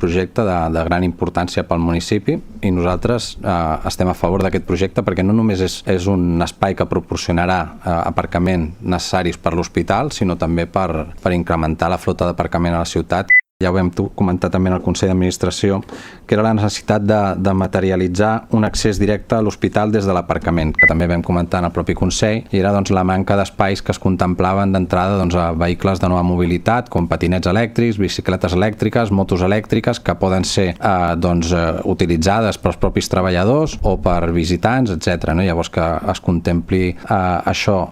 projecte de gran importància pel municipi i nosaltres estem a favor d'aquest projecte perquè no només és un espai que proporcionarà aparcament necessaris per l'hospital, sinó també per incrementar la flota d'aparcament a la ciutat. Ja ho vam comentar també en el Consell d'Administració, que era la necessitat de materialitzar un accés directe a l'hospital des de l'aparcament, que també vam comentar en el propi Consell, i era la manca d'espais que es contemplaven d'entrada a vehicles de nova mobilitat, com patinets elèctrics, bicicletes elèctriques, motos elèctriques, que poden ser utilitzades pels propis treballadors o per visitants, etc. Llavors que es contempli això